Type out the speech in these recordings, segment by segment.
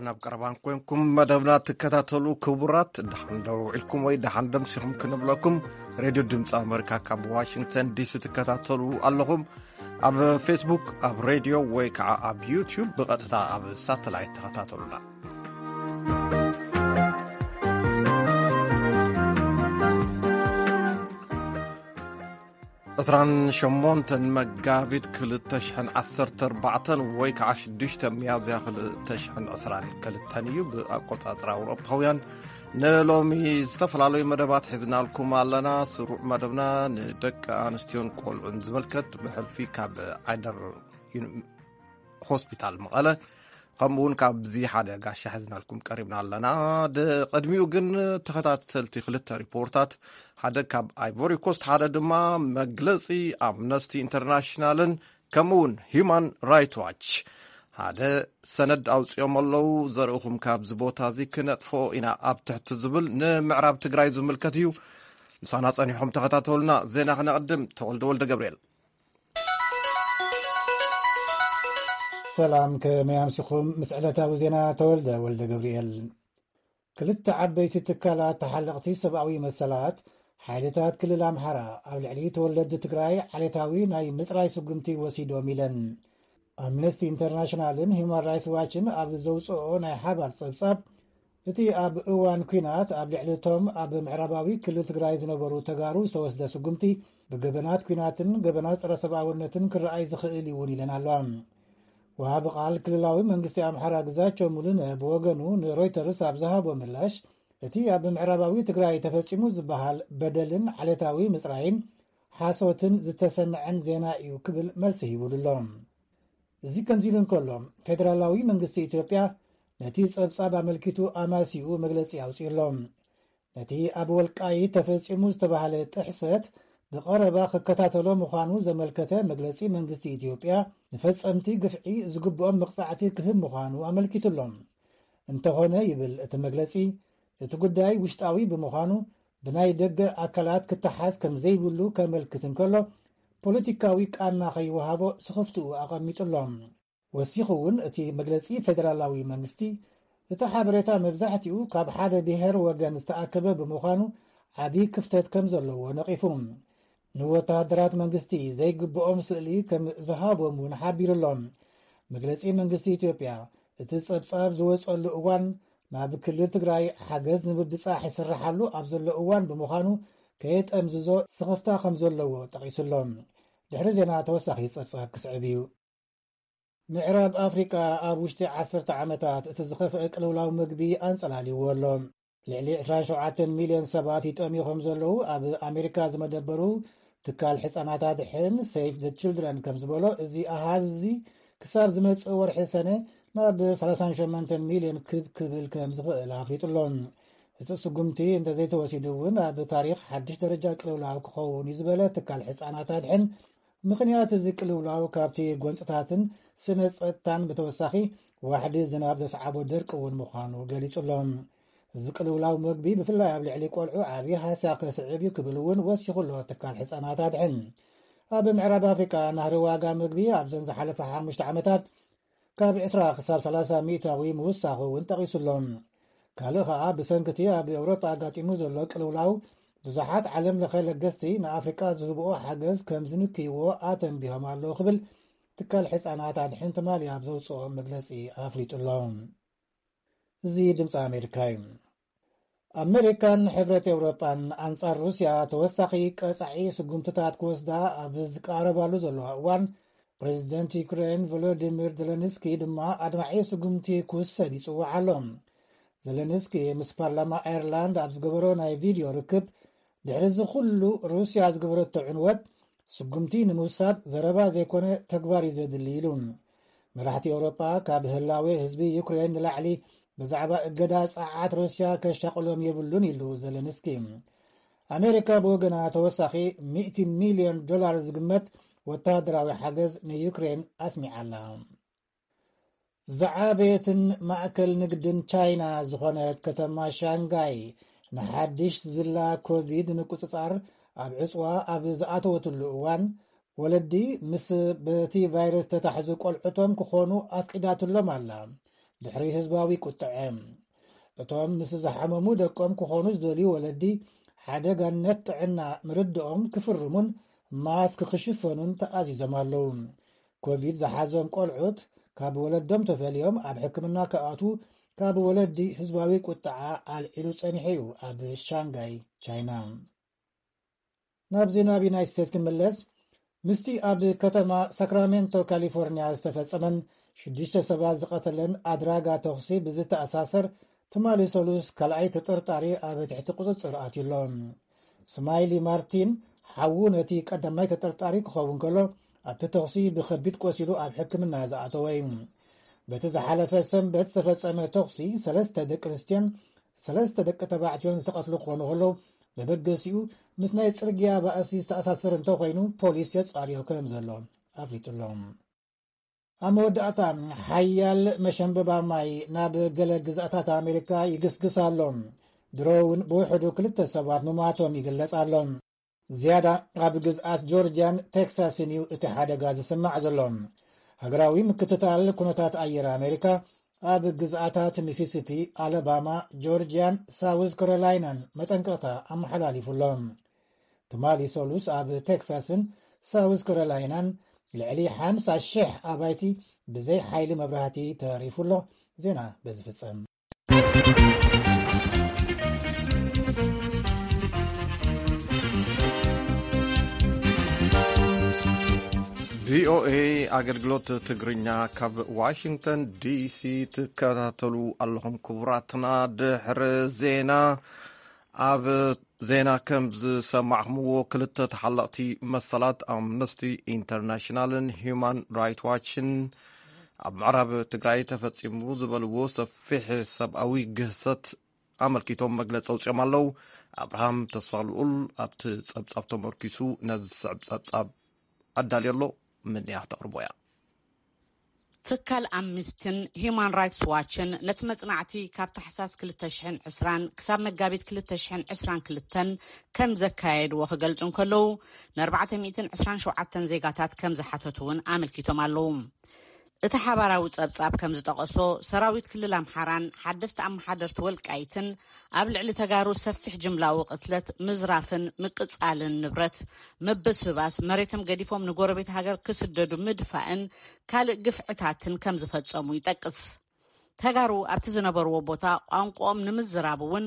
ናብ ቀረባን ኮንኩም መደብና ትከታተሉ ክቡራት፣ ደሓን ደው ኢልኩም ወይ ደሓን ደምሲኹም ክንብለኩም፣ ሬድዮ ድምፂ ኣመሪካ ካብ ዋሽንግተን ዲሲ ትከታተሉ ኣለኹም። ኣብ ፌስቡክ፣ ኣብ ሬድዮ ወይ ከዓ ኣብ ዩቲዩብ ብቐጥታ ኣብ ሳተላይት ተኸታተሉና። ዕስራን ሸሞንተን መጋቢት ክልተ ሽሕን ዓሰርተ ኣርባዕተን ወይ ከዓ ሽዱሽተ ሚያዝያ ክልተ ሽሕን ዕስራን ክልተን እዩ ብኣቆፃፅራ ኣውሮፓውያን። ንሎሚ ዝተፈላለዩ መደባት ሒዝናልኩም ኣለና። ስሩዕ መደብና ንደቂ ኣንስትዮን ቆልዑን ዝምልከት ብሕልፊ ካብ ዓይደር ዩኒ-፣ ሆስፒታል መቐለ፣ ከምኡ እውን ካብዚ ሓደ ጋሻ ሒዝናልኩም ቀሪብና ኣለና። ድ-፣ ቅድሚኡ ግን ተኸታተልቲ ክልተ ሪፖርታት፣ ሓደ ካብ ኣይቮሪ ኮስት፣ ሓደ ድማ መግለጺ ኣምነስቲ ኢንተርናሽናልን ከምኡ እውን ሂዩማን ራይት ዋች ሓደ ሰነድ ኣውፂኦም ኣለዉ። ዘርእኹም ካብዚ ቦታ እዚ ክነጥፍኦ ኢና ኣብ ትሕቲ ዝብል ንምዕራብ ትግራይ ዝምልከት እዩ። ምሳና ጸኒሖም ተኸታተሉና። ዜና ክነቕድም፣ ተወልደ ወልደ ገብርኤል። ሰላም፣ ከመይ ኣምሲኹም? ምስ ዕለታዊ ዜና ተወልደ ወልደ ገብርኤል። ክልተ ዓበይቲ ትካላት ተሓለቕቲ ሰብኣዊ መሰላት፣ ሓይልታት ክልል ኣምሓራ ኣብ ልዕሊ ተወለድቲ ትግራይ ዓሌታዊ ናይ ምጽራይ ስጉምቲ ወሲዶም ኢለን። ኣምነስቲ ኢንተርናሽናልን ሂውማን ራይትስ ዋችን ኣብ ዘውፅኦ ናይ ሓባር ጸብጻብ፣ እቲ ኣብ እዋን ኲናት ኣብ ልዕሊ እቶም ኣብ ምዕራባዊ ክልል ትግራይ ዝነበሩ ተጋሩ ዝተወስደ ስጉምቲ ብገበናት ኲናትን ገበናት ጸረ ሰብኣውነትን ክረኣይ ዝኽእል እውን ኢለን ኣለዋ። ወሃቢ ቃል ክልላዊ መንግስቲ ኣምሓራ ግዛቸው ሙሉነ ብወገኑ ንሮይተርስ ኣብ ዝሃቦ ምላሽ፣ እቲ ኣብ ምዕራባዊ ትግራይ ተፈጺሙ ዝበሃል በደልን ዓሌታዊ ምጽራይን ሓሶትን ዝተሰነዐን ዜና እዩ ክብል መልሲ ሂቡሉ ኣሎ። እዚ ከምዚ ኢሉ እንከሎ፣ ፌደራላዊ መንግስቲ ኢትዮጵያ ነቲ ጸብጻብ ኣመልኪቱ ኣማሲኡ መግለጺ ኣውጺኡ ኣሎ። ነቲ ኣብ ወልቃይት ተፈጺሙ ዝተባህለ ጥሕሰት ብቐረባ ክከታተሎ ምዃኑ ዘመልከተ መግለጺ መንግስቲ ኢትዮጵያ፣ ንፈጸምቲ ግፍዒ ዝግብኦም መቕጻዕቲ ክህብ ምዃኑ ኣመልኪቱ ኣሎ። እንተኾነ፣ ይብል እቲ መግለጺ፣ እቲ ጉዳይ ውሽጣዊ ብምዃኑ ብናይ ደገ ኣካላት ክተሓዝ ከም ዘይብሉ ከመልክት እንከሎ፣ ፖለቲካዊ ቃና ከይወሃቦ ስኽፍትኡ ኣቐሚጡ ኣሎ። ወሲኹ እውን እቲ መግለጺ፣ ፌደራላዊ መንግስቲ እቲ ሓበሬታ መብዛሕትኡ ካብ ሓደ ብሔር ወገን ዝተኣከበ ብምዃኑ ዓቢ ክፍተት ከም ዘለዎ ነቒፉ። ንወተሃደራት መንግስቲ ዘይግብኦም ስእሊ ከም ዝሃቦም እውን ሓቢሩ ኣሎ። መግለጺ መንግስቲ ኢትዮጵያ፣ እቲ ጸብጻብ ዝወጸሉ እዋን ናብ ክልል ትግራይ ሓገዝ ንምብጻሕ ይስርሓሉ ኣብ ዘሎ እዋን ብምዃኑ፣ ከየጠምዝዞ ስኽፍታ ከም ዘለዎ ጠቒሱ ኣሎ። ድሕሪ ዜና ተወሳኺ ጸብጻብ ክስዕብ እዩ። ምዕራብ ኣፍሪቃ ኣብ ውሽጢ ዓሰርተ ዓመታት እቲ ዝኸፍአ ቅልውላው ምግቢ ኣንጸላልይዎ ኣሎ። ልዕሊ ዕስራን ሸውዓተን ሚልዮን ሰባት ይጠምዩ ከም ዘለዉ ኣብ ኣሜሪካ ዝመደበሩ ትካል ሕጻናት ኣድሕን ሴቭ ዘ ችልድረን ከም ዝበሎ፣ እዚ ኣሃዝ እዚ ክሳብ ዝመጽእ ወርሒ ሰነ ናብ ሰላሳን ሸሞንተን ሚልዮን ክብ ክብል ከም ዝኽእል ኣፍሊጡ ኣሎ። እዚ ስጉምቲ እንተዘይተወሲዱ እውን ኣብ ታሪኽ ሓድሽ ደረጃ ቅልውላው ክኸውን እዩ ዝበለ ትካል ሕጻናት ኣድሕን፣ ምኽንያት እዚ ቅልውላው ካብቲ ጎንጽታትን ስነ ጸጥታን ብተወሳኺ ዋሕዲ ዝናብ ዘስዓቦ ደርቂ እውን ምዃኑ ገሊጹ ኣሎ። እዚ ቅልውላው መግቢ ብፍላይ ኣብ ልዕሊ ቆልዑ ዓቢ ሃስያ ከስዕብ እዩ ክብል እውን ወሲኹ ኣሎ ትካል ሕጻናት ኣድሕን። ኣብ ምዕራብ ኣፍሪቃ ናህሪ ዋጋ መግቢ ኣብዘን ዝሓለፈ ሓሙሽተ ዓመታት ካብ ዕስራ ክሳብ ሰላሳ ሚእታዊ ምውሳኹ እውን ጠቒሱ ኣሎ። ካልእ ኸኣ ብሰንኪ እቲ ኣብ ኤውሮጳ ኣጋጢሙ ዘሎ ቅልውላው ብዙሓት ዓለም ለኸ ለገስቲ ንኣፍሪቃ ዝህብኦ ሓገዝ ከም ዝንክይዎ ኣተንቢሆም ኣለዉ ክብል ትካል ሕጻናት ኣድሕን ትማሊ ኣብ ዘውፅኦ መግለጺ ኣፍሊጡ ኣሎ። እዚ ድምፂ ኣሜሪካ እዩ። ኣሜሪካን ሕብረት ኤውሮጳን ኣንጻር ሩስያ ተወሳኺ ቀጻዒ ስጉምትታት ክወስዳ ኣብ ዝቃረባሉ ዘለዋ እዋን፣ ፕሬዚደንት ዩክሬን ቮሎዲሚር ዘለንስኪ ድማ ኣድማዒ ስጉምቲ ክውሰድ ይጽውዕ ኣሎ። ዘለንስኪ ምስ ፓርላማ ኣየርላንድ ኣብ ዝገበሮ ናይ ቪድዮ ርክብ፣ ድሕሪ እዚ ኩሉ ሩስያ ዝገበረቶ ዕንወት ስጉምቲ ንምውሳድ ዘረባ ዘይኮነ ተግባር እዩ ዘድሊ ኢሉ። መራሕቲ ኤውሮጳ ካብ ህላዌ ህዝቢ ዩክሬን ንላዕሊ ብዛዕባ እገዳ ጸዓት ሩስያ ከሻቕሎም የብሉን ኢሉ ዘለንስኪ። ኣሜሪካ ብወገና ተወሳኺ ሚእቲ ሚልዮን ዶላር ዝግመት ወተሃደራዊ ሓገዝ ንዩክሬን ኣስሚዓላ። ዝዓበየትን ማእከል ንግድን ቻይና ዝኾነት ከተማ ሻንጋይ ንሓድሽ ዝላ ኮቪድ ንምቁጽጻር ኣብ ዕጽዋ ኣብ ዝኣተወትሉ እዋን፣ ወለዲ ምስ በቲ ቫይረስ ተታሕዙ ቆልዑቶም ክኾኑ ኣፍቂዳትሎም ኣላ። ድሕሪ ህዝባዊ ቁጥዐ። እቶም ምስ ዝሓመሙ ደቆም ክኾኑ ዝደልዩ ወለዲ፣ ሓደጋነት ጥዕና ምርድኦም ክፍርሙን ማስክ ክሽፈኑን ተኣዚዞም ኣለዉ። ኮቪድ ዝሓዞም ቆልዑት ካብ ወለዶም ተፈልዮም ኣብ ሕክምና ክኣትዉ ካብ ወለዲ ህዝባዊ ቁጥዓ ኣልዒሉ ጸኒሑ እዩ ኣብ ሻንጋይ ቻይና። ናብ ዜና ኣብ ዩናይትድ ስቴትስ ክንምለስ። ምስቲ ኣብ ከተማ ሳክራሜንቶ ካሊፎርኒያ ዝተፈጸመን ሽዱሽተ ሰባት ዝቐተለን ኣድራጋ ተኹሲ ብዝተኣሳሰር፣ ትማሊ ሰሉስ ካልኣይ ተጠርጣሪ ኣብ ትሕቲ ቁጽጽር ኣትዩ ኣሎ። ስማይሊ ማርቲን ሓዉ ነቲ ቀዳማይ ተጠርጣሪ ክኸውን ከሎ፣ ኣብቲ ተኹሲ ብኸቢድ ቆሲሉ ኣብ ሕክምና ዝኣተወ እዩ። በቲ ዝሓለፈ ሰንበት ዝተፈጸመ ተኹሲ ሰለስተ ደቂ ኣንስትዮን ሰለስተ ደቂ ተባዕትዮን ዝተቐትሉ ክኾኑ ከለዉ፣ መበገሲኡ ምስ ናይ ጽርግያ ባእሲ ዝተኣሳሰረ እንተኾይኑ ፖሊስ የጻርዮ ከም ዘሎ ኣፍሊጡ ኣሎ። ኣብ መወዳእታ፣ ሓያል መሸንበባ ማይ ናብ ገለ ግዝኣታት ኣሜሪካ ይግስግስ ኣሎ። ድሮ እውን ብውሕዱ ክልተ ሰባት ምማቶም ይግለጽ ኣሎ። ዝያዳ ኣብ ግዝኣት ጆርጅያን ቴክሳስን እዩ እቲ ሓደጋ ዝስማዕ ዘሎ። ሃገራዊ ምክትታል ኩነታት ኣየር ኣሜሪካ ኣብ ግዝኣታት ሚሲሲፒ፣ ኣለባማ፣ ጆርጅያን ሳውዝ ካሮላይናን መጠንቀቕታ ኣመሓላሊፉ ኣሎ። ትማሊ ሰሉስ ኣብ ቴክሳስን ሳውዝ ካሮላይናን ልዕሊ ሓምሳ ሽሕ ኣባይቲ ብዘይ ሓይሊ መብራህቲ ተሪፉ ኣሎ። ዜና በዚ ፍጸም። ቪኦኤ ኣገልግሎት ትግርኛ ካብ ዋሽንግተን ዲሲ ትከታተሉ ኣለኹም። ክቡራትና፣ ድሕሪ ዜና ኣብ ዜና ከም ዝሰማዕኹምዎ፣ ክልተ ተሓለቕቲ መሰላት ኣምነስቲ ኢንተርናሽናልን ሂዩማን ራይት ዋችን ኣብ ምዕራብ ትግራይ ተፈጺሙ ዝበልዎ ሰፊሕ ሰብኣዊ ግህሰት ኣመልኪቶም መግለጺ ኣውጺኦም ኣለዉ። ኣብርሃም ተስፋልኡል ኣብቲ ጸብጻብ ተመርኪሱ ነዚ ዝስዕብ ጸብጻብ ኣዳልዮ ኣሎ። ምንያ ክተቕርቦ እያ። ትካል ኣምኒስትን ሂዩማን ራይትስ ዋችን ነቲ መጽናዕቲ ካብ ታሕሳስ ክልተ ሽሕን ዕስራን ክሳብ መጋቢት ክልተ ሽሕን ዕስራን ክልተን ከም ዘካየድዎ ክገልጹ እንከለዉ፣ ን ኣርባዕተ ሚእትን ዕስራን ሸውዓተን ዜጋታት ከም ዝሓተቱ እውን ኣመልኪቶም ኣለዉ። እቲ ሓባራዊ ጸብጻብ ከም ዝጠቐሶ፣ ሰራዊት ክልል ኣምሓራን ሓደስቲ ኣመሓደርቲ ወልቃይትን ኣብ ልዕሊ ተጋሩ ሰፊሕ ጅምላዊ ቅትለት፣ ምዝራፍን ምቅጻልን ንብረት፣ ምብስባስ፣ መሬቶም ገዲፎም ንጎረቤት ሃገር ክስደዱ ምድፋእን ካልእ ግፍዕታትን ከም ዝፈጸሙ ይጠቅስ። ተጋሩ ኣብቲ ዝነበርዎ ቦታ ቋንቋኦም ንምዝራብ እውን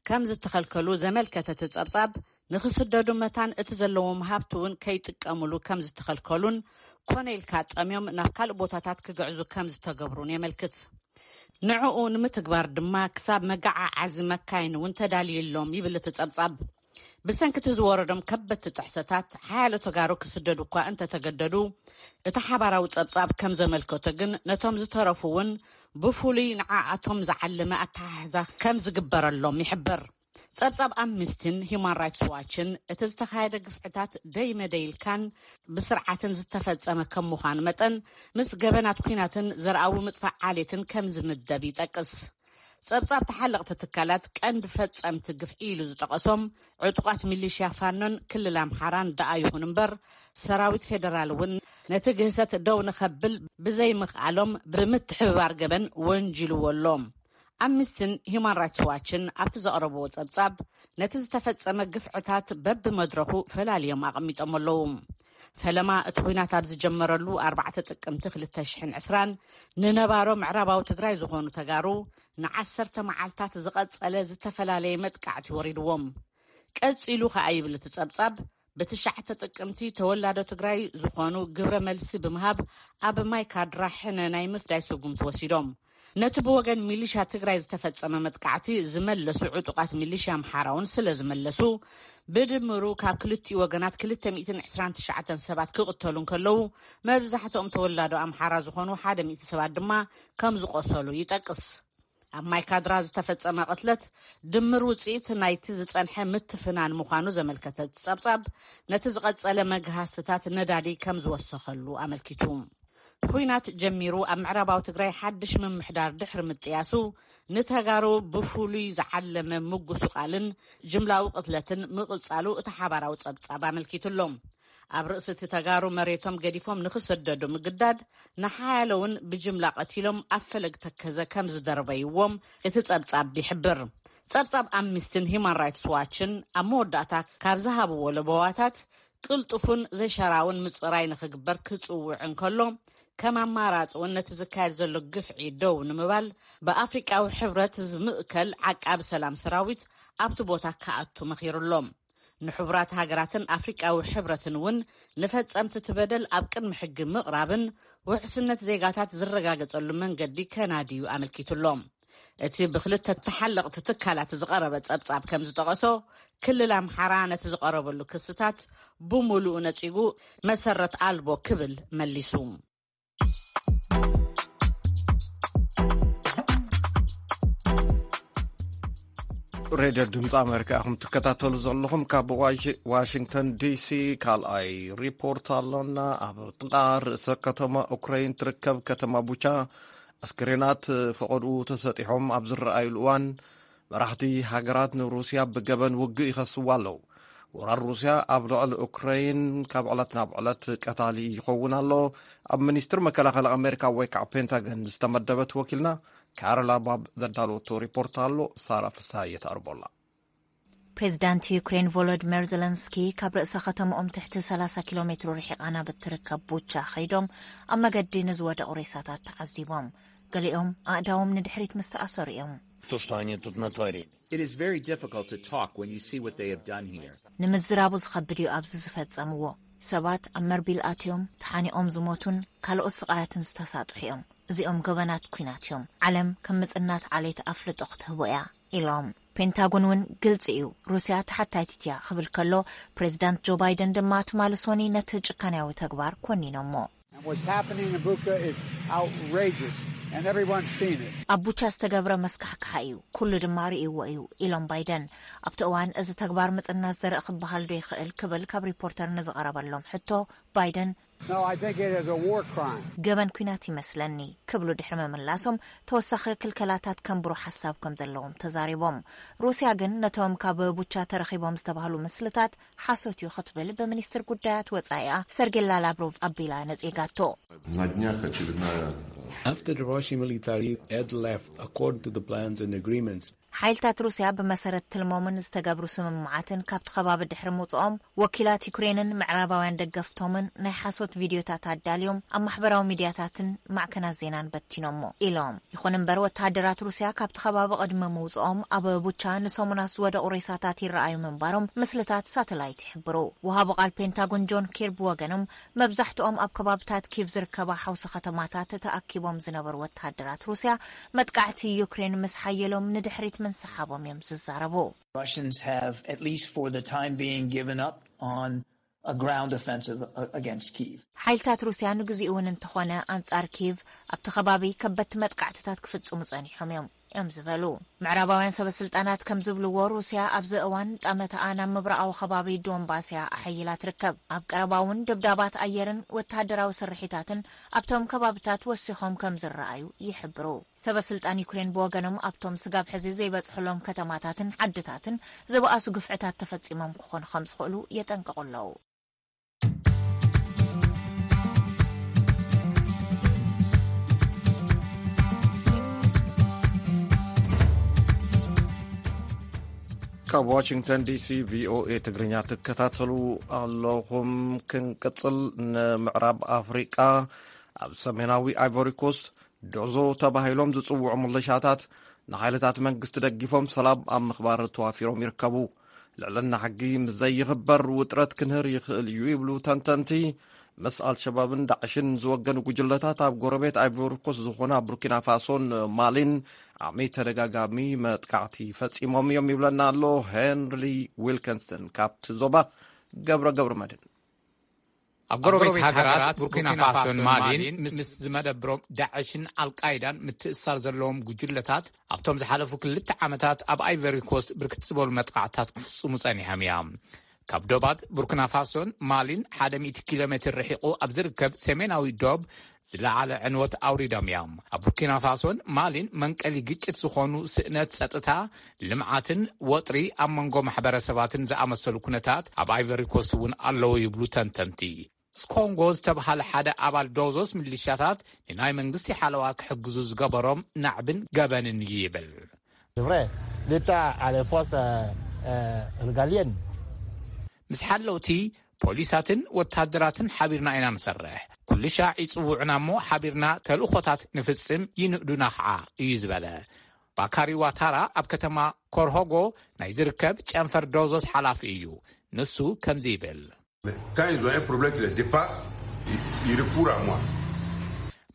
ከም ዝተኸልከሉ ዘመልከተ እቲ ጸብጻብ፣ ንኽስደዱ መታን እቲ ዘለዎም ሃብቲ እውን ከይጥቀምሉ ከም ዝተኸልከሉን፣ ኮነ ኢልካ ጠምዮም ናብ ካልእ ቦታታት ክግዕዙ ከም ዝተገብሩን የመልክት። ንዕኡ ንምትግባር ድማ ክሳብ መገዓዓዚ መካይን እውን ተዳልዩሎም ይብል እቲ ጸብጻብ። ብሰንኪ እቲ ዝወረዶም ከበድቲ ጥሕሰታት፣ ሓያሎ ተጋሩ ክስደዱ እኳ እንተተገደዱ፣ እቲ ሓባራዊ ጸብጻብ ከም ዘመልከቶ ግን፣ ነቶም ዝተረፉ እውን ብፍሉይ ንዓኣቶም ዝዓለመ ኣተሓሕዛ ከም ዝግበረሎም ይሕብር። ጸብጻብ ኣምኒስቲን ሂዩማን ራይትስ ዋችን፣ እቲ ዝተኻየደ ግፍዕታት ደይ መደይ ኢልካን ብስርዓትን ዝተፈጸመ ከም ምዃኑ መጠን፣ ምስ ገበናት ኲናትን ዘርኣዊ ምጥፋእ ዓሌትን ከም ዝምደብ ይጠቅስ። ጸብጻብ ተሓለቕቲ ትካላት፣ ቀንዲ ፈጸምቲ ግፍዒ ኢሉ ዝጠቐሶም ዕጡቓት ሚሊሽያ ፋኖን ክልል ኣምሓራን ደኣ ይኹን እምበር፣ ሰራዊት ፌደራል እውን ነቲ ግህሰት ደው ንኸብል ብዘይምኽኣሎም ብምትሕብባር ገበን ወንጂልዎ ኣሎ። ኣምኒስቲን ሂዩማን ራይትስ ዋችን ኣብቲ ዘቕረብዎ ጸብጻብ፣ ነቲ ዝተፈጸመ ግፍዕታት በብመድረኹ ፈላልዮም ኣቐሚጦም ኣለዉ። ፈለማ እቲ ኲናት ኣብ ዝጀመረሉ ኣርባዕተ ጥቅምቲ ክልተ ሽሕን ዕስራን፣ ንነባሮ ምዕራባዊ ትግራይ ዝኾኑ ተጋሩ ንዓሰርተ መዓልታት ዝቐጸለ ዝተፈላለየ መጥቃዕቲ ወሪድዎም። ቀጺሉ ከኣ ይብል እቲ ጸብጻብ፣ ብትሽዓተ ጥቅምቲ ተወላዶ ትግራይ ዝኾኑ ግብረ መልሲ ብምሃብ ኣብ ማይ ካድራ ሕነ ናይ ምፍዳይ ስጉምቲ ወሲዶም። ነቲ ብወገን ሚሊሻ ትግራይ ዝተፈጸመ መጥቃዕቲ ዝመለሱ ዕጡቓት ሚሊሻ ኣምሓራ እውን ስለ ዝመለሱ፣ ብድምሩ ካብ ክልቲኡ ወገናት ክልተ ሚእትን ዕስራን ትሽዓተን ሰባት ክቕተሉ እንከለዉ፣ መብዛሕትኦም ተወላዶ ኣምሓራ ዝኾኑ ሓደ ሚእቲ ሰባት ድማ ከም ዝቖሰሉ ይጠቅስ። ኣብ ማይ ካድራ ዝተፈጸመ ቅትለት ድምር ውጽኢት ናይቲ ዝጸንሐ ምትፍናን ምዃኑ ዘመልከተ እቲ ጸብጻብ፣ ነቲ ዝቐጸለ መግሃስትታት ነዳዲ ከም ዝወሰኸሉ ኣመልኪቱ። ኲናት ጀሚሩ ኣብ ምዕራባዊ ትግራይ ሓድሽ ምምሕዳር ድሕሪ ምጥያሱ፣ ንተጋሩ ብፍሉይ ዝዓለመ ምጉስቓልን ጅምላዊ ቅትለትን ምቕጻሉ እቲ ሓባራዊ ጸብጻብ ኣመልኪቱ ኣሎ። ኣብ ርእሲ እቲ ተጋሩ መሬቶም ገዲፎም ንኽሰደዱ ምግዳድ፣ ንሓያለውን ብጅምላ ቀቲሎም ኣብ ፈለግ ተከዘ ከም ዝደርበይዎም እቲ ጸብጻብ ይሕብር። ጸብጻብ ኣምኒስትን ሂማን ራይትስ ዋችን ኣብ መወዳእታ ካብ ዝሃብዎ ለበዋታት፣ ቅልጡፉን ዘይሸራውን ምጽራይ ንኽግበር ክጽውዕ እንከሎ፣ ከም ኣማራጺ እውን ነቲ ዝካየድ ዘሎ ግፍዒ ደው ንምባል፣ ብኣፍሪቃዊ ሕብረት ዝምእከል ዓቃቢ ሰላም ሰራዊት ኣብቲ ቦታ ክኣቱ መኺሩ ኣሎ። ንሕቡራት ሃገራትን ኣፍሪቃዊ ሕብረትን እውን ንፈጸምቲ እቲ በደል ኣብ ቅድሚ ሕጊ ምቕራብን ውሕስነት ዜጋታት ዝረጋገጸሉ መንገዲ ከናድዩ ኣመልኪቱ ኣሎ። እቲ ብክልተ ተሓለቕቲ ትካላት ዝቐረበ ጸብጻብ ከም ዝጠቐሶ፣ ክልል ኣምሓራ ነቲ ዝቐረበሉ ክስታት ብምሉኡ ነጺጉ፣ መሰረት ኣልቦ ክብል መሊሱ። ሬድዮ ድምፂ ኣሜሪካ ኢኹም ትከታተሉ ዘለኹም። ካብ ዋሽ- ዋሽንግተን ዲሲ ካልኣይ ሪፖርት ኣሎና። ኣብ ጥቓ ርእሰ ከተማ ኡክራይን ትርከብ ከተማ ቡቻ፣ ኣስክሬናት ፈቐድኡ ተሰጢሖም ኣብ ዝረኣዩሉ እዋን፣ መራሕቲ ሃገራት ንሩስያ ብገበን ውግእ ይኸስዋ ኣለዉ። ወራር ሩስያ ኣብ ልዕሊ ኡክራይን ካብ ዕለት ናብ ዕለት ቀታሊ ይኸውን ኣሎ። ኣብ ሚኒስትር መከላኸሊ ኣሜሪካ ወይ ከዓ ፔንታገን ዝተመደበት ወኪልና ካሮላ ባብ ዘዳለወቶ ሪፖርት ኣሎ። ሳራ ፍስሃየ ተቕርቦላ። ፕሬዚዳንት ዩክሬን ቮሎዲሚር ዘለንስኪ ካብ ርእሰ ከተማኦም ትሕቲ ሰላሳ ኪሎ ሜትሮ ርሒቓ ናብ እትርከብ ቡቻ ከይዶም ኣብ መገዲ ንዝወደቑ ሬሳታት ተዓዚቦም። ገሊኦም ኣእዳዎም ንድሕሪት ምስ ተኣሰሩ እዮም። To, što oni tu natvorili. It is very difficult to talk when you see what they have done here. ንምዝራቡ ዝኸብድ እዩ ኣብዚ ዝፈጸምዎ። ሰባት ኣብ መርቢል ኣትዮም ተሓኒቖም ዝሞቱን ካልኦት ስቓያትን ዝተሳጥሑ እዮም። እዚኦም ገበናት ኲናት እዮም። ዓለም ከም ምጽናት ዓሌት ኣፍልጦ ክትህቦ እያ ኢሎም። ፔንታጎን እውን ግልጺ እዩ፣ ሩስያ ተሓታይቲት እያ ክብል ከሎ፣ ፕሬዚዳንት ጆ ባይደን ድማ ትማሊ ሶኒ ነቲ ጭካንያዊ ተግባር ኮኒኖሞ። And what's happening in Bucha is outrageous, and everyone's seen it. ኣብ ቡቻ ዝተገብረ መስካሕክሓ እዩ፣ ኩሉ ድማ ርእይዎ እዩ ኢሎም ባይደን። ኣብቲ እዋን እዚ ተግባር ምጽናት ዘርኢ ክበሃል ዶ ይኽእል ክብል ካብ ሪፖርተር ንዝቐረበሎም ሕቶ ባይደን No, I think it is a war crime. ገበን ኲናት ይመስለኒ ክብሉ ድሕሪ ምምላሶም፣ ተወሳኺ ክልከላታት ከንብሩ ሓሳብ ከም ዘለዎም ተዛሪቦም። ሩስያ ግን ነቶም ካብ ቡቻ ተረኺቦም ዝተባህሉ ምስልታት ሓሶት እዩ ክትብል ብሚኒስትር ጉዳያት ወጻኢኣ ሰርጌላ ላቭሮቭ ኣቢላ ነጺጋቶ። На днях очередная After the Russian military had left according to the plans and agreements, ሓይልታት ሩስያ ብመሰረት ትልሞምን ዝተገብሩ ስምምዓትን ካብቲ ከባቢ ድሕሪ ምውፅኦም፣ ወኪላት ዩክሬንን ምዕራባውያን ደገፍቶምን ናይ ሓሶት ቪድዮታት ኣዳልዮም ኣብ ማሕበራዊ ሚድያታትን ማዕከናት ዜናን በቲኖሞ ኢሎም። ይኹን እምበር፣ ወተሃደራት ሩስያ ካብቲ ከባቢ ቅድሚ ምውፅኦም ኣብ ቡቻ ንሰሙናት ዝወደቑ ሬሳታት ይረኣዩ ምንባሮም ምስልታት ሳተላይት ይሕብሩ። ወሃቢ ቃል ፔንታጎን ጆን ኪርቢ ወገኖም፣ መብዛሕትኦም ኣብ ከባብታት ኪቭ ዝርከባ ሓውሲ ከተማታት ተኣኪቦም ዝነበሩ ወተሃደራት ሩስያ፣ መጥቃዕቲ ዩክሬን ምስ ሓየሎም ንድሕሪት ምንስሓቦም እዮም ዝዛረቡ። Russians have, at least for the time being, given up on a ground offensive uh, against Kyiv. ሓይልታት ሩስያ ንግዚኡ እውን እንተኾነ ኣንጻር ኪቭ ኣብቲ ከባቢ ከበድቲ መጥቃዕትታት ክፍጽሙ ጸኒሖም እዮም እዮም ዝበሉ። ምዕራባውያን ሰበ ስልጣናት ከም ዝብልዎ፣ ሩስያ ኣብዚ እዋን ጠመተኣ ናብ ምብራቓዊ ከባቢ ዶንባስ እያ ኣሐይላ ትርከብ። ኣብ ቀረባ እውን ድብዳባት ኣየርን ወተሃደራዊ ስርሒታትን ኣብቶም ከባብታት ወሲኾም ከም ዝረኣዩ ይሕብሩ። ሰበ ስልጣን ዩክሬን ብወገኖም፣ ኣብቶም ስጋብ ሕዚ ዘይበጽሕሎም ከተማታትን ዓድታትን ዝበኣሱ ግፍዕታት ተፈጺሞም ክኾኑ ከም ዝኽእሉ የጠንቅቑ ኣለዉ። ካብ ዋሽንግተን ዲሲ ቪኦኤ ትግርኛ ትከታተሉ ኣለኹም። ክንቅጽል፣ ንምዕራብ ኣፍሪቃ ኣብ ሰሜናዊ ኣይቮሪ ኮስት ዶዞ ተባሂሎም ዝጽውዑ ምልሻታት ንሓይልታት መንግስቲ ደጊፎም ሰላም ኣብ ምኽባር ተዋፊሮም ይርከቡ። ልዕልና ሕጊ ምስ ዘይኽበር ውጥረት ክንህር ይኽእል እዩ ይብሉ ተንተንቲ። ምስ ኣልሸባብን ዳዕሽን ዝወገኑ ጉጅለታት ኣብ ጎረቤት ኣይቮሪኮስ ዝኾና ቡርኪና ፋሶን ማሊን ዓሚ ተደጋጋሚ መጥቃዕቲ ፈጺሞም እዮም ይብለና ኣሎ ሄንሪ ዊልኪንሰን ካብቲ ዞባ። ገብረ ገብረ መድን። ኣብ ጎረቤት ሃገራት ቡርኪና ፋሶን ማሊን ምስ ዝመደብሮም ዳዕሽን ኣልቃይዳን ምትእሳር ዘለዎም ጉጅለታት ኣብቶም ዝሓለፉ ክልተ ዓመታት ኣብ ኣይቨሪ ኮስት ብርክት ዝበሉ መጥቃዕታት ክፍጽሙ ጸኒሖም እዮም። ካብ ዶባት ቡርኪና ፋሶን ማሊን ሓደ ሚእቲ ኪሎ ሜትር ርሒቑ ኣብ ዝርከብ ሰሜናዊ ዶብ ዝለዓለ ዕንወት ኣውሪዶም እዮም። ኣብ ቡርኪና ፋሶን ማሊን መንቀሊ ግጭት ዝኾኑ ስእነት ጸጥታ፣ ልምዓትን ወጥሪ ኣብ መንጎ ማሕበረሰባትን ዝኣመሰሉ ኩነታት ኣብ ኣይቨሪ ኮስት እውን ኣለዉ ይብሉ ተንተንቲ። ስኮንጎ ዝተብሃለ ሓደ ኣባል ዶዞስ ሚሊሻታት ንናይ መንግስቲ ሓለዋ ክሕግዙ ዝገበሮም ናዕብን ገበንን እዩ ይብል። C'est vrai, l'État a les forces euh, euh, régaliennes. ምስ ሓለውቲ ፖሊሳትን ወታደራትን ሓቢርና ኢና ንሰርሕ። ኩሉ ሻዕ ይጽውዑና እሞ ሓቢርና ተልእኾታት ንፍጽም፣ ይንእዱና ኸዓ እዩ ዝበለ ባካሪ ዋታራ። ኣብ ከተማ ኮርሆጎ ናይ ዝርከብ ጨንፈር ዶዞስ ሓላፊ እዩ። ንሱ ከምዚ ይብል። Quand ils ont un problème qui les dépasse, ils, ils recourent à moi.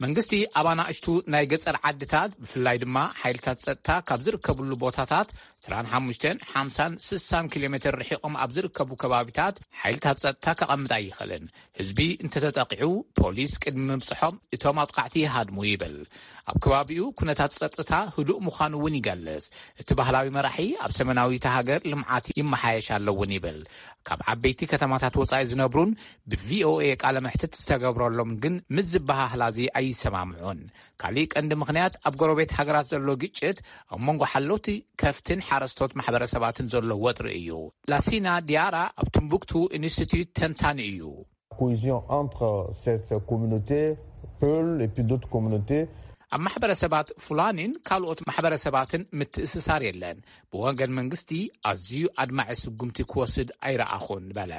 መንግስቲ ኣብ ኣናእሽቱ ናይ ገጸር ዓድታት፣ ብፍላይ ድማ ሓይልታት ጸጥታ ካብ ዝርከብሉ ቦታታት ዕስራን ሓሙሽተን፣ ሓምሳን፣ ስሳን ኪሎ ሜትር ርሒቖም ኣብ ዝርከቡ ከባቢታት ሓይልታት ጸጥታ ከቐምጥ ኣይኽእልን። ህዝቢ እንተተጠቒዑ ፖሊስ ቅድሚ ምብጽሖም እቶም ኣጥቃዕቲ ይሃድሙ ይብል። ኣብ ከባቢኡ ኩነታት ጸጥታ ህዱእ ምዃኑ እውን ይገልጽ። እቲ ባህላዊ መራሒ ኣብ ሰሜናዊት ሃገር ልምዓት ይመሓየሽ ኣሎ እውን ይብል። ካብ ዓበይቲ ከተማታት ወጻኢ ዝነብሩን ብቪኦኤ ቃለ መሕትት ዝተገብረሎም ግን ምስ ዝበሃህላዚ ኣይሰማምዑን። ካሊእ ቀንዲ ምኽንያት ኣብ ጎረቤት ሃገራት ዘሎ ግጭት ኣብ መንጎ ሓለውቲ ከፍትን ሓረስቶት ማሕበረሰባትን ዘሎ ወጥሪ እዩ። ላሲና ዲያራ ኣብ ቱምቡክቱ ኢንስቲትዩት ተንታኒ እዩ። Cohésion entre cette communauté, Peul et puis d'autres communautés. ኣብ ማሕበረሰባት ፉላኒን ካልኦት ማሕበረሰባትን ምትእስሳር የለን። ብወገን መንግስቲ ኣዝዩ ኣድማዒ ስጉምቲ ክወስድ ኣይረኣኹን በለ።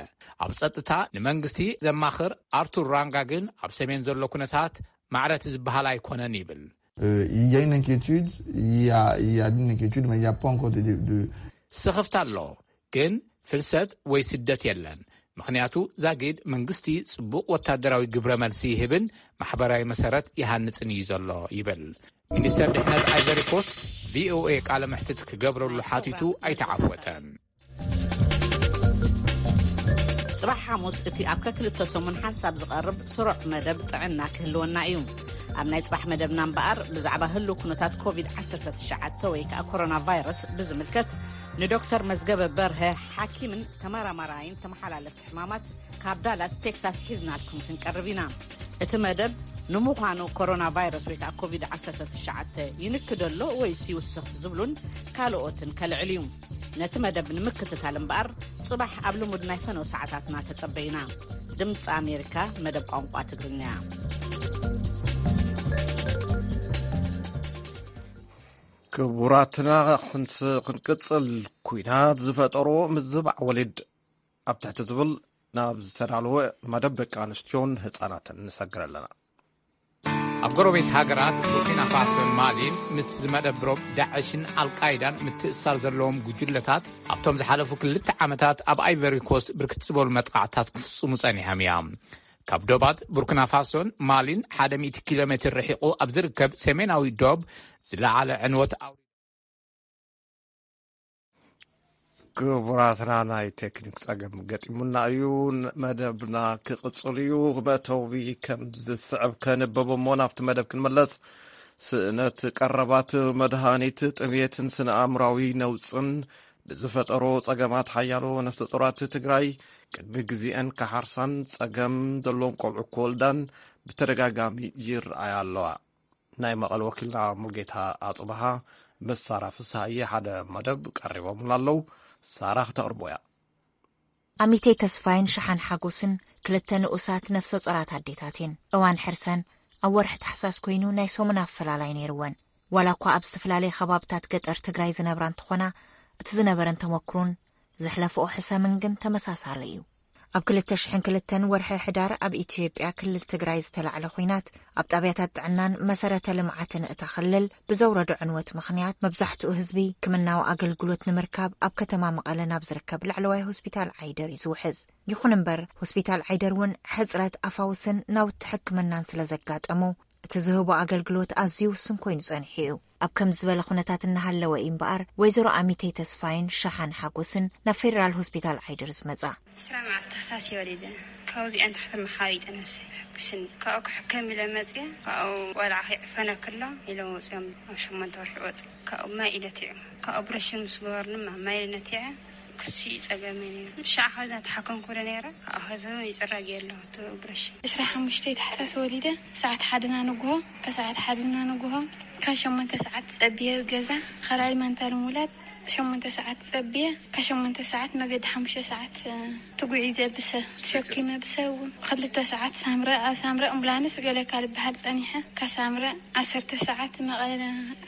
ኣብ ጸጥታ ንመንግስቲ ዘማኽር ኣርቱር ራንጋ ግን ኣብ ሰሜን ዘሎ ኩነታት ማዕረት ዝበሃል ኣይኮነን ይብል። Euh, il y a une inquiétude, il y a, il y a une inquiétude, mais il n'y a pas encore de, de, de... ስኽፍታ ኣሎ፣ ግን ፍልሰት ወይ ስደት የለን። ምኽንያቱ ዛጊድ መንግስቲ ጽቡቕ ወታደራዊ ግብረ መልሲ ይህብን ማሕበራዊ መሰረት ይሃንጽን እዩ ዘሎ ይብል። ሚኒስተር ድሕነት ኣይቨሪ ኮስት ቪኦኤ ቃለ መሕትት ክገብረሉ ሓቲቱ ኣይተዓወተን። ጽባሕ ሓሙስ እቲ ኣብ ከክልተ ሰሙን ሓንሳብ ዝቐርብ ስሩዕ መደብ ጥዕና ክህልወና እዩ። ኣብ ናይ ጽባሕ መደብና እምበኣር ብዛዕባ ህልው ኩነታት ኮቪድ ዓሰርተ ትሽዓተ ወይ ከዓ ኮሮና ቫይረስ ብዝምልከት ንዶክተር መዝገበ በርሀ ሓኪምን ተመራማራይን ተመሓላለፍቲ ሕማማት ካብ ዳላስ ቴክሳስ ሒዝናልኩም ክንቀርብ ኢና። እቲ መደብ ንምዃኑ ኮሮና ቫይረስ ወይ ከዓ ኮቪድ ዓሰርተ ትሽዓተ ይንክደሎ ወይስ ይውስኽ ዝብሉን ካልኦትን ከልዕል እዩ። ነቲ መደብ ንምክትታል እምበኣር ጽባሕ ኣብ ልሙድ ናይ ፈነው ሰዓታትና ተጸበዩና። ድምፂ ኣሜሪካ መደብ ቋንቋ ትግርኛ። ክቡራትና ክንስ ክንቅጽል፣ ኩናት ዝፈጠሮ ምዝባዕ ወሊድ ኣብ ትሕቲ ዝብል ናብ ዝተዳለወ መደብ ደቂ ኣንስትዮን ህጻናትን ንሰግር ኣለና። ኣብ ጎረቤት ሃገራት ቡርኪና ፋሶን ማሊን ምስ ዝመደብሮም ዳዕሽን ኣልቃይዳን ምትእስሳር ዘለዎም ጉጅለታት ኣብቶም ዝሓለፉ ክልተ ዓመታት ኣብ ኣይቨሪ ኮስት ብርክት ዝበሉ መጥቃዕታት ክፍጽሙ ጸኒሖም እዮም። ካብ ዶባት ቡርኪና ፋሶን ማሊን ሓደ ሚእቲ ኪሎ ሜትር ርሒቑ ኣብ ዝርከብ ሰሜናዊ ዶብ ዝለዓለ ዕንወት ኣውሪዱ። ክቡራትና፣ ናይ ቴክኒክ ጸገም ገጢሙና እዩ። መደብና ክቕጽል እዩ። መእተዊ ከም ዝስዕብ ከንብብ እሞ ናብቲ መደብ ክንመለስ። ስእነት ቀረባት፣ መድሃኒት፣ ጥምየትን ስነ ኣእምራዊ ነውጽን ብዝፈጠሮ ጸገማት ሓያሎ ነፍሰ ጡራት ትግራይ ቅድሚ ግዜአን ክሓርሳን ጸገም ዘለዎም ቆልዑ ክወልዳን ብተደጋጋሚ ይረኣያ ኣለዋ። ናይ መቐለ ወኪልና ሙልጌታ ኣጽብሃ ምስ ሳራ ፍስሃየ ሓደ መደብ ቀሪቦምና ኣለዉ። ሳራ ክተቕርቦ እያ። ኣሚተይ ተስፋይን ሸሓን ሓጎስን ክልተ ንኡሳት ነፍሰ ጾራት ኣዴታት እየን። እዋን ሕርሰን ኣብ ወርሒ ታሕሳስ ኮይኑ ናይ ሰሙን ኣፈላላይ ነይርወን። ዋላ እኳ ኣብ ዝተፈላለየ ከባብታት ገጠር ትግራይ ዝነብራ እንትኾና፣ እቲ ዝነበረን ተመክሮን ዘሕለፈኦ ሕሰምን ግን ተመሳሳሊ እዩ። ኣብ ክልተ ሽሕን ክልተን ወርሒ ሕዳር ኣብ ኢትዮጵያ ክልል ትግራይ ዝተላዕለ ኹናት ኣብ ጣብያታት ጥዕናን መሰረተ ልምዓትን እታ ክልል ብዘውረዶ ዕንወት ምኽንያት መብዛሕትኡ ህዝቢ ሕክምናዊ ኣገልግሎት ንምርካብ ኣብ ከተማ መቐለ ናብ ዝርከብ ላዕለዋይ ሆስፒታል ዓይደር እዩ ዝውሕዝ። ይኹን እምበር ሆስፒታል ዓይደር እውን ሕፅረት ኣፋውስን ናውቲ ሕክምናን ስለ ዘጋጠሞ እቲ ዝህቦ ኣገልግሎት ኣዝዩ ውሱን ኮይኑ ጸኒሑ እዩ። ኣብ ከምዚ ዝበለ ኩነታት እናሃለወ እዩ እምበኣር ወይዘሮ ኣሚተይ ተስፋይን ሸሓን ሓጎስን ናብ ፌደራል ሆስፒታል ዓይደር ዝመጻ። ዕስራ መዓልቲ ታሕሳስ እየ ወሊደ። ካብዚኣን ታሕቲ መሓሪጠ ነብሰይ ሕጉስኒ። ካብኡ ክሕከም ኢለ መፅየ። ካብኡ ቆልዓ ከይዕፈነ ክሎ ኢሎም ወፅዮም ኣብ ሸሞንተ ወርሒ ወፂ። ካብኡ ማይ ኢለ ትዕም። ካብኡ ኦፕሬሽን ምስ ገበርኒ ማይ ኢለ ነቲዐ። እሲ ጸገመ ነይሩ። ሻዕ ኸዛ ተሓከምኩ ዶ ነይረ? ኣብ ኸዛ ይጽረግ የለኹ እቲ ኦፕሬሽን። ዕስራ ሓሙሽተ ታሕሳስ ወሊደ፣ ሰዓት ሓደና ንግሆ፣ ከሰዓት ሓደና ንግሆ፣ ካብ ሸሞንተ ሰዓት ጸብየ ገዛ፣ ኸላሊ መንታ ልሙላድ፣ ሸሞንተ ሰዓት ጸብየ፣ ካብ ሸሞንተ ሰዓት መገዲ ሓሙሽተ ሰዓት፣ እ፣ ትጉዒዘ ብሰ-፣ ተሸኪመ ብሰ እውን። ክልተ ሰዓት ሳምረ፣ ኣብ ሳምረ ኣምቡላንስ ገለ ካብ ልበሃል ጸኒሐ፣ ካብ ሳምረ ዓሰርተ ሰዓት መቐለ፣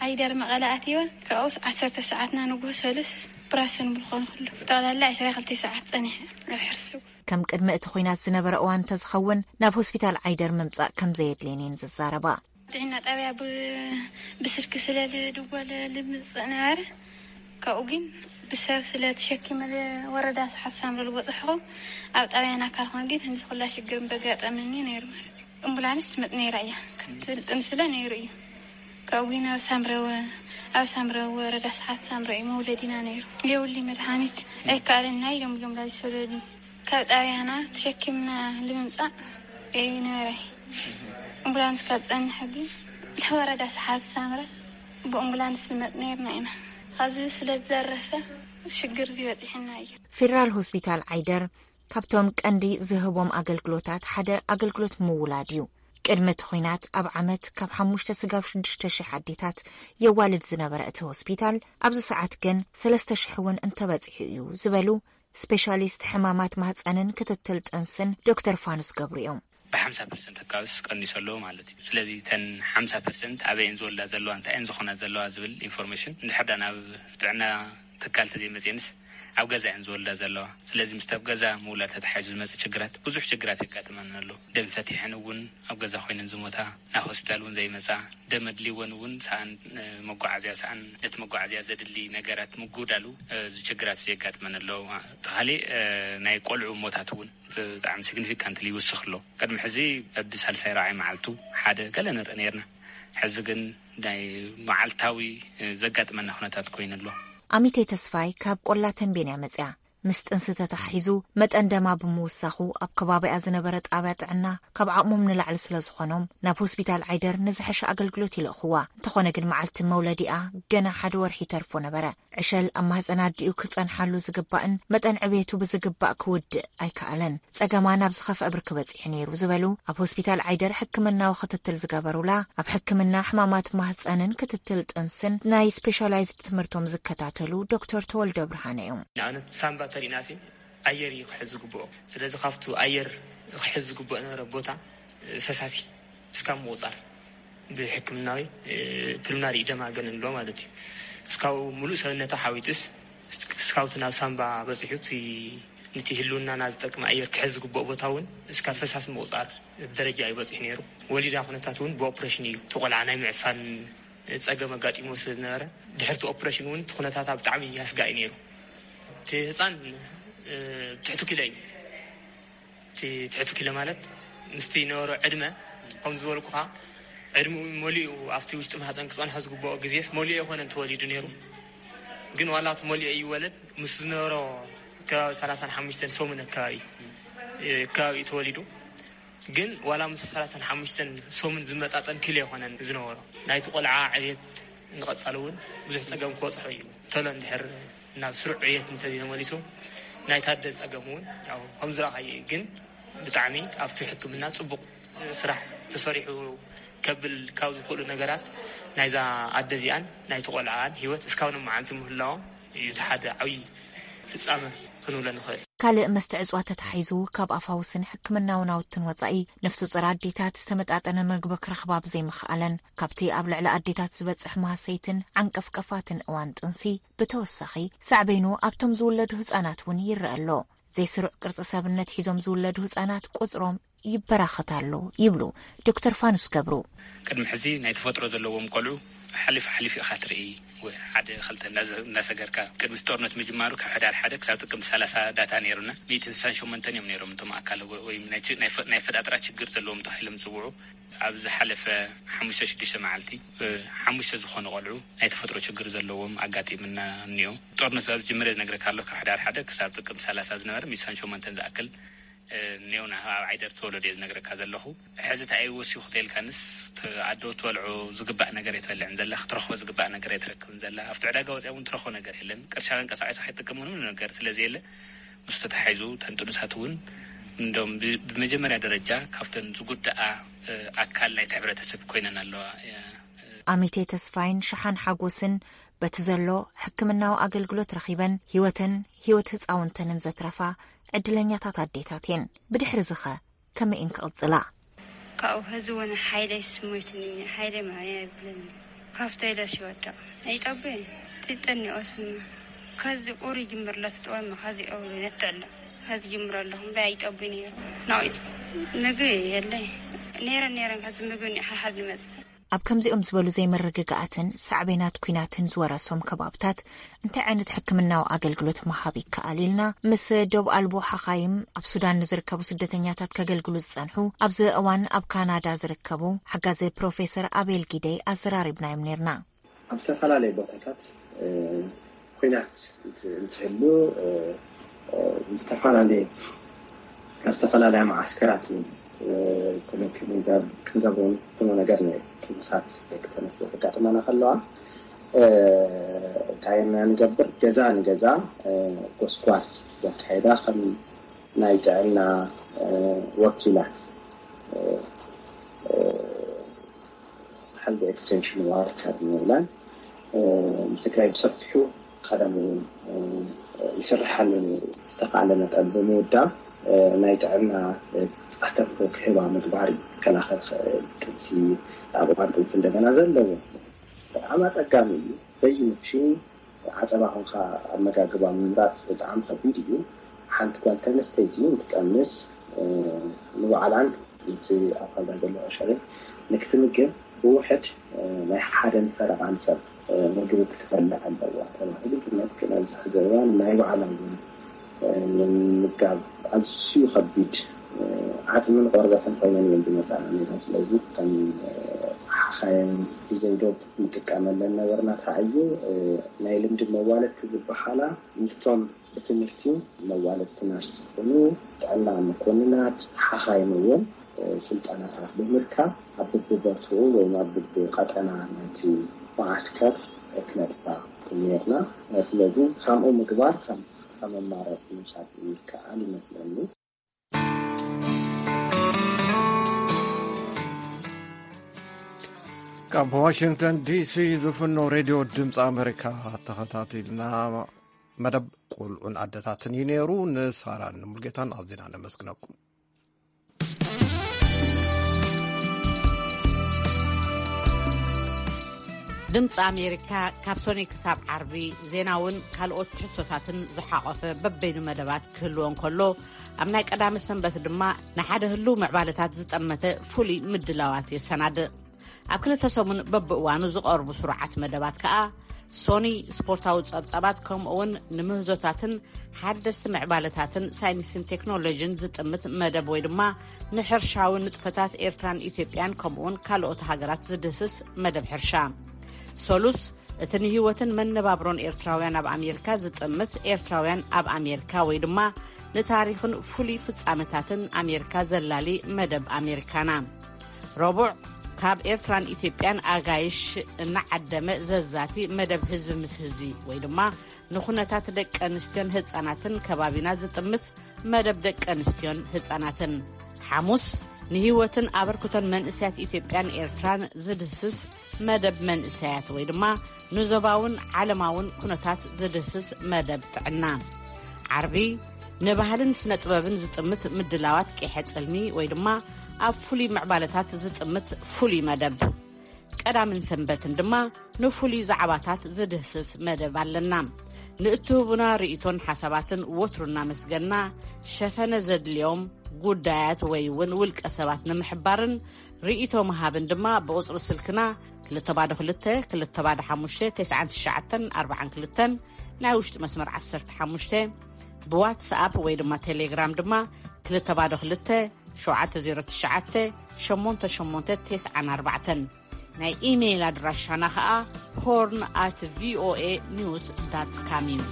ዓይደር መቐለ ኣትየወ። ካብኡስ ዓሰርተ ሰዓትና ንግሆ ሰሉስ ብራሰን ብልኾን ኩሉ። ጠቕላላ ዕስራ ክልተ ሰዓት ጸኒሐ ኣብ ሕርሲ። ከም ቅድሚ እቲ ኹናት ዝነበረ እዋን እንተዝኸውን፣ ናብ ሆስፒታል ዓይደር ምምጻእ ከም ዘየድልየን እየን ዝዛረባ። ጥዕና ጣብያ ብ-፣ ብስልኪ ስለ ዝድወል ልምጽእ ነበረ። ካብኡ ግን ብሰብ ስለ ተሸኪመ ወረዳ ሰሓት ሳምረ ዝበጽሕኹ ኣብ ጣብያን ኣካል ኮን ግን ህንዚ ኩላ ሽግር በጋጠመኒ ነይሩ ማለት እዩ። ኣምቡላንስ ትመጥ ነይራ እያ። ክትልጥን ስለ ነይሩ እዩ። ካብኡ ግን ኣብ ሳምረ ወ-፣ ኣብ ሳምረ ወረዳ ሰሓት ሳምረ እዩ መውለዲና ነይሩ። የውሊ መድሃኒት ኣይከኣለና ኢሎም እዮም ላዚ ሰለዱ። ካብ ጣብያና ተሸኪምና ንምምጻእ ይነበረ። ኣምቡላንስ ካብ ጸንሐ ግን እቲ ወረዳ ሰሓት ሳምረ ብኣምቡላንስ ንመጥ ነይርና ኢና። ኻዚ ስለ ዝዘረፈ ሽግር እዚ በጺሕና እዩ። ፌደራል ሆስፒታል ዓይደር ካብቶም ቀንዲ ዝህቦም ኣገልግሎታት ሓደ ኣገልግሎት ምውላድ እዩ። ቅድሚ እቲ ኹናት ኣብ ዓመት ካብ ሓሙሽተ ስጋብ ሽዱሽተ ሽሕ ኣዴታት የዋልድ ዝነበረ እቲ ሆስፒታል፣ ኣብዚ ሰዓት ግን ሰለስተ ሽሕ እውን እንተበጺሑ እዩ ዝበሉ ስፔሻሊስት ሕማማት ማህፀንን ክትትል ጥንስን ዶክተር ፋኑስ ገብሩ እዮም። ብሓምሳ ፐርሰንት ኣካባቢስ ቀኒሱ ኣሎ ማለት እዩ። ስለዚ እተን ሓምሳ ፐርሰንት ኣበይ እየን ዝወልዳ ዘለዋ፣ እንታይ እየን ዝኾና ዘለዋ ዝብል ኢንፎርሜሽን እንድሕር ዳ ናብ ጥዕና ትካል ተዘይመፅየንስ ኣብ ገዛ እየን ዝወልዳ ዘለዋ። ስለዚ ምስቲ ኣብ ገዛ ምውላድ ተተሓሒዙ ዝመፅእ ችግራት፣ ብዙሕ ችግራት የጋጥመና ኣሎ። ደም ፈቲሐን እውን ኣብ ገዛ ኮይነን ዝሞታ፣ ናብ ሆስፒታል እውን ዘይመፃ፣ ደም ኣድልይወን እውን ሰኣን፣ እ፣ መጓዓዝያ ሰኣን፣ ነቲ መጓዓዝያ ዘድሊ ነገራት ምጉዳሉ፣ እ፣ እዚ ችግራት እዚ የጋጥመን ኣሎ። እቲ ካሊእ፣ እ፣ ናይ ቆልዑ ሞታት እውን ብጣዕሚ ሲግኒፊካንትሊ ይውስኽ ኣሎ። ቅድሚ ሕዚ በብሳልሳይ ራብዓይ መዓልቱ ሓደ ገለ ንርኢ ነይርና። ሕዚ ግን ናይ መዓልታዊ፣ እ፣ ዘጋጥመና ኩነታት ኮይኑ ኣሎ። ኣሚቴ ተስፋይ ካብ ቆላ ተንቤን እያ መጽያ። ምስ ጥንሲ ተተሓሒዙ መጠን ደማ ብምውሳኹ ኣብ ከባቢኣ ዝነበረ ጣብያ ጥዕና ካብ ዓቕሞም ንላዕሊ ስለ ዝኾኖም ናብ ሆስፒታል ዓይደር ንዝሐሸ ኣገልግሎት ይልእኽዋ። እንተኾነ ግን መዓልቲ መውለዲኣ ገና ሓደ ወርሒ ይተርፎ ነበረ። ዕሸል ኣብ ማህፀን ኣዲኡ ክፀንሓሉ ዝግባእን መጠን ዕቤቱ ብዝግባእ ክውድእ ኣይከኣለን። ጸገማ ናብ ዝኸፍአ ብርኪ በጺሑ ነይሩ ዝበሉ ኣብ ሆስፒታል ዓይደር ሕክምናዊ ክትትል ዝገበሩላ ኣብ ሕክምና ሕማማት ማህፀንን ክትትል ጥንስን ናይ ስፔሻላይዝድ ትምህርቶም ዝከታተሉ ዶክተር ተወልደ ብርሃነ እዮም። ንኣብነት ሳምባ ተሪእናሲ ኣየር እዩ ክሕዝ ዝግብኦ። ስለዚ ካብቱ ኣየር ክሕዝ ዝግብኦ ነበረ ቦታ፣ እ፣ ፈሳሲ እስካብ ምቑጻር ብሕክምናዊ፣ እ፣ ፕልምናሪ ኢደማ ገለ ንብሎ ማለት እዩ። እስካብ ሙሉእ ሰብነታ ሓዊጡስ እስካብቱ ናብ ሳምባ በጺሑ እቲ፣ ነቲ ህልውናና ዝጠቅም ኣየር ክሕዝ ዝግብኦ ቦታ እውን እስካብ ፈሳሲ ምቑጻር ደረጃ እዩ በጺሑ ነይሩ። ወሊዳ ኩነታት እውን ብኦፕሬሽን እዩ እቲ ቆልዓ ናይ ምዕፋን ጸገም ኣጋጢሞ ስለ ዝነበረ፣ ድሕርቲ ኦፕሬሽን እውን እቲ ኩነታታ ብጣዕሚ ኣስጋኢ ነይሩ። እቲ ህፃን፣ እ፣ ትሕቲ ኪሎ እዩ። እቲ ትሕቲ ኪሎ ማለት ምስቲ ነበሮ ዕድመ፣ ከም ዝበልኩኻ፣ ዕድሚኡ መሊኡ ኣብቲ ውሽጢ ማህፀን ክፀንሖ ዝግብኦ ግዜስ መሊኡ ኣይኮነን ተወሊዱ ነይሩ። ግን ዋላ እቲ መሊኡ ይወለድ፣ ምስ ዝነበሮ ከባቢ ሰላሳን ሓሙሽተን ሰሙን ኣካባቢ፣ እ፣ ከባቢ እዩ ተወሊዱ። ግን ዋላ ምስ ሰላሳን ሓሙሽተን ሰሙን ዝመጣጠን ኪሎ ኣይኮነን ዝነበሮ። ናይቲ ቆልዓ ዕብየት ንቐጻሊ እውን ብዙሕ ጸገም ክበጽሖ እዩ። ተሎ እንድሕር ናብ ስሩዕ ዕብየት እንተዘይተመሊሱ፣ ናይታ ኣደ ጸገም እውን ያው ከም ዝረኣኻዮ እዩ። ግን ብጣዕሚ ኣብቲ ሕክምና ጽቡቕ ስራሕ ተሰሪሑ ከብል ካብ ዝኽእሉ ነገራት ናይዛ ኣደ እዚኣን ናይቲ ቆልዓን ህይወት እስካብ ሎማዓንቲ ምህላዎም እዩ እቲ ሓደ ዓብዪ ፍጻመ ክንብሎ ንኽእል። ካልእ መስተ ዕጽዋት ተታሒዙ ካብ ኣፋውስን ሕክምናዊ ናውትን ወጻኢ ነፍሰ ጡር ኣዴታት ዝተመጣጠነ መግቢ ክረኽባ ብዘይምኽኣለን ካብቲ ኣብ ልዕሊ ኣዴታት ዝበጽሕ ማህሰይትን ዓንቀፍቀፋትን እዋን ጥንሲ ብተወሳኺ ሳዕቤኑ ኣብቶም ዝውለዱ ህጻናት እውን ይረአ ኣሎ። ዘይስሩዕ ቅርጺ ሰብነት ሒዞም ዝውለዱ ህጻናት ቁጽሮም ይበራኸት ኣሎ ይብሉ ዶክተር ፋኑስ ገብሩ። ቅድሚ ሕዚ ናይ ተፈጥሮ ዘለዎም ቆልዑ ሓሊፍ ሓሊፍ ኢኻ ትርኢ። ወይ ሓደ ክልተ እንዳዘ-፣ እንዳሰገርካ ቅድሚ ጦርነት ምጅማሩ ካብ ሕዳር ሓደ ክሳብ ጥቅምቲ ሰላሳ ዳታ ነይሩና። ሚእትን ስሳን ሸሞንተን እዮም ነይሮም እቶም ኣካል ወ-፣ ወይ ናይ ች-፣ ናይ ፈ-፣ ናይ ፈጣጥራ ችግር ዘለዎም ተባሂሎም ዝጽውዑ። ኣብ ዝሓለፈ ሓሙሽተ ሽዱሽተ መዓልቲ፣ እ፣ ሓሙሽተ ዝኾኑ ቆልዑ ናይ ተፈጥሮ ችግር ዘለዎም ኣጋጢምና እኒኦ። ጦርነት ኣብ ዝጅምር ዝነግረካ ኣሎ፣ ካብ ሕዳር ሓደ ክሳብ ጥቅምቲ ሰላሳ ዝነበረ ሚእትን ስሳን ሸሞንተን ዝኣክል ኔውና ኣብ ዓይደር ተወለዶ እየ ዝነግረካ ዘለኹ። ሕዚ እንታይ እዩ ወሲኹ ተልካንስ፣ ኣዶ ትበልዑ ዝግባእ ነገር እየ ትበልዕን ዘላ፣ ክትረኽቦ ዝግባእ ነገር እየ ትረክብን ዘላ። ኣብቲ ዕዳጋ ወፂኣ እውን ትረኽቦ ነገር የለን። ቅርሻ ከንቀሳቀሳ ከይትጥቀም ምንም ነገር ስለዘየለ፣ ምስ ተታሒዙ ተንጥኑሳት እውን እንደም ብ- ብመጀመርያ ደረጃ ካብተን ዝጉዳኣ ኣካል ናይቲ ሕብረተሰብ ኮይነን ኣለዋ። ኣሚቴ ተስፋይን ሸሓን ሓጎስን በቲ ዘሎ ሕክምናዊ ኣገልግሎት ረኺበን ህይወተን ህይወት ህፃውንተንን ዘትረፋ ዕድለኛታት ኣዴታት እየን። ብድሕሪ ዝኸ ከመይ እየን ክቕፅላ? ካብኡ ሕዚ እውን ሓይለይ ስሞይትኒ፣ ሓይለይ ማያ ይብለኒ። ካብቶ ኢለ ሲወድቕ ኣይጠቡየ ጥጠኒኦስማ። ከዚ ቁሪ ጅምር ለትጥወማ ከዚ እብሉ ነትዕሎ። ከዚ ጅምር ኣለኹ እምበይ ኣይጠቡይ ነይሩ። ናዊፅ ምግቢ የለይ። ነይረን ነይረን ከዚ ምግቢ ሓሓድ ንመፅእ። ኣብ ከምዚኦም ዝበሉ ዘይምርግጋኣትን ሳዕቤናት ኲናትን ዝወረሶም ከባብታት እንታይ ዓይነት ሕክምናዊ ኣገልግሎት ምሃብ ይከኣል ኢልና ምስ ዶብ ኣልቦ ሓኻይም ኣብ ሱዳን ንዝርከቡ ስደተኛታት ከገልግሉ ዝጸንሑ ኣብዚ እዋን ኣብ ካናዳ ዝርከቡ ሓጋዚ ፕሮፌሰር ኣቤል ጊደይ ኣዘራሪብናዮም ነርና። ኣብ ዝተፈላለየ ቦታታት ኲናት እንትህሉ ዝተፈላለየ ኣብ ዝተፈላለያ መዓስከራት ክንገብሮ ንፍትኖ ነገር ነይሩ። ጥኑሳት ደቂ ተነስተ ከጋጥማና ከለዋ እንታይ ኢና ንገብር? ገዛ ንገዛ ጎስጓስ ዘካየዳ ከም ናይ ጥዕና ወኪላት፣ health extension worker ንብለን፣ ንትግራይ ብሰፊሑ ቀደም እውን ይስርሓሉ ነይሩ። ዝተኻእለ መጠን ብምውዳብ ናይ ጥዕና ኣስተምህሮ ክህባ ምግባር እዩ። ክከላኸል ዝኽእል ጥንሲ፣ ኣብ እዋን ጥንሲ እንደገና ዘለዎ ብጣዕሚ ኣፀጋሚ እዩ። ዘይምቹ ዓፀባ ኮንካ ኣመጋግባ ምምራፅ ብጣዕሚ ከቢድ እዩ። ሓንቲ ጓል ተነስተይቲ እንትጠምስ ንባዕላን እቲ ኣብ ካልዳ ዘሎ ዕሸልን ንክትምግብ ብውሕድ ናይ ሓደን ፈረቓን ሰብ ምግቢ ክትበልዕ ኣለዋ ተባሂሉ ይግመት። ግን ኣብዚ ሕዚ እዋን ናይ ባዕላ እውን ንምምጋብ ኣዝዩ ከቢድ ዓፅምን ቆርበትን ኮይነን እየን ዝመፃና ነይረን። ስለዚ ከም ሓኻይም ብዘይዶብ ንጥቀመለን ነበርና። ተዓዩ ናይ ልምዲ መዋለድቲ ዝበሃላ ምስቶም ብትምህርቲ መዋለድቲ ነርስ ዝኾኑ ጥዕና መኮንናት ሓኻይም እውን ስልጠናታት ብምርካብ ኣብ ብብቦትኡ ወይ ኣብ ብብቀጠና ናይቲ መዓስከር ክነጥፋ ነርና። ስለዚ ከምኡ ምግባር ከም ኣማራፂ ምውሳድ ይከኣል ይመስለኒ። ካብ ዋሽንግተን ዲሲ ዝፍኖ ሬድዮ ድምፂ ኣሜሪካ ተኸታቲልና መደብ ቆልዑን ኣደታትን እዩ ነይሩ። ንሳራን ንሙልጌታን ኣዝና ነመስግነኩም። ድምፂ ኣሜሪካ ካብ ሶኒ ክሳብ ዓርቢ ዜናውን ካልኦት ትሕዝቶታትን ዝሓቖፈ በበይኑ መደባት ክህልዎ እንከሎ፣ ኣብ ናይ ቀዳመ ሰንበት ድማ ንሓደ ህልው ምዕባለታት ዝጠመተ ፍሉይ ምድላዋት የሰናድእ። ኣብ ክልተ ሰሙን በብእዋኑ ዝቐርቡ ስሩዓት መደባት ከኣ ሶኒ ስፖርታዊ ጸብጻባት፣ ከምኡ እውን ንምህዞታትን ሓደስቲ ምዕባለታትን ሳይንስን ቴክኖሎጂን ዝጥምት መደብ ወይ ድማ ንሕርሻዊ ንጥፈታት ኤርትራን ኢትዮጵያን ከምኡውን ካልኦት ሃገራት ዝድህስስ መደብ ሕርሻ። ሰሉስ እቲ ንህይወትን መነባብሮን ኤርትራውያን ኣብ ኣሜሪካ ዝጥምት ኤርትራውያን ኣብ ኣሜሪካ ወይ ድማ ንታሪኽን ፍሉይ ፍጻመታትን ኣሜሪካ ዘላሊ መደብ ኣሜሪካና። ረቡዕ ካብ ኤርትራን ኢትዮጵያን ኣጋይሽ እናዓደመ ዘዛቲ መደብ ህዝቢ ምስ ህዝቢ ወይ ድማ ንኹነታት ደቂ ኣንስትዮን ህጻናትን ከባቢና ዝጥምት መደብ ደቂ ኣንስትዮን ህጻናትን። ሓሙስ ንህይወትን ኣበርክቶን መንእሰያት ኢትዮጵያን ኤርትራን ዝድህስስ መደብ መንእሰያት ወይ ድማ ንዞባውን ዓለማውን ኩነታት ዝድህስስ መደብ ጥዕና። ዓርቢ ንባህልን ስነ ጥበብን ዝጥምት ምድላዋት ቂሐ ጽልሚ ወይ ድማ ኣብ ፍሉይ ምዕባለታት ዝጥምት ፍሉይ መደብ። ቀዳምን ሰንበትን ድማ ንፍሉይ ዛዕባታት ዝድህስስ መደብ ኣለና። ንእትህቡና ርእይቶን ሓሳባትን ወትሩ እናመስገና፣ ሸፈነ ዘድልዮም ጉዳያት ወይ እውን ውልቀ ሰባት ንምሕባርን ርእይቶ ምሃብን ድማ ብቁጽሪ ስልክና ክልተ ባዶ ክልተ፣ ክልተ ባዶ ሓሙሽተ፣ ተስዓን ትሽዓተን ኣርባዓን ክልተን፣ ናይ ውሽጢ መስመር ዓሰርተ ሓሙሽተ፣ ብዋትስኣፕ ወይ ድማ ቴሌግራም ድማ ክልተ ባዶ ክልተ፣ ሸውዓተ ዜሮ ትሽዓተ፣ ሸሞንተ ሸሞንተ ተስዓን ኣርባዕተን። ናይ ኢሜይል ኣድራሻና ኸኣ ሆርን ኣት ቪኦኤ ኒውስ ዳት ካም እዩ።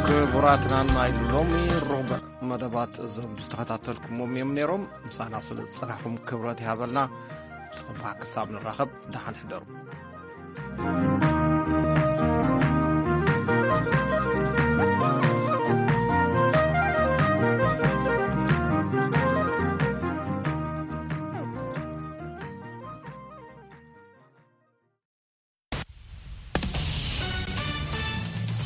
ክቡራትና፣ ናይ ሎሚ ሮብዕ መደባት እዞም ዝተኸታተልኩሞም እዮም ነይሮም። ምሳና ስለ ዝጸናሕኩም ክብረት ይሃበልና። ጽባሕ ክሳብ ንራኸብ፣ ደሓን ሕደሩ።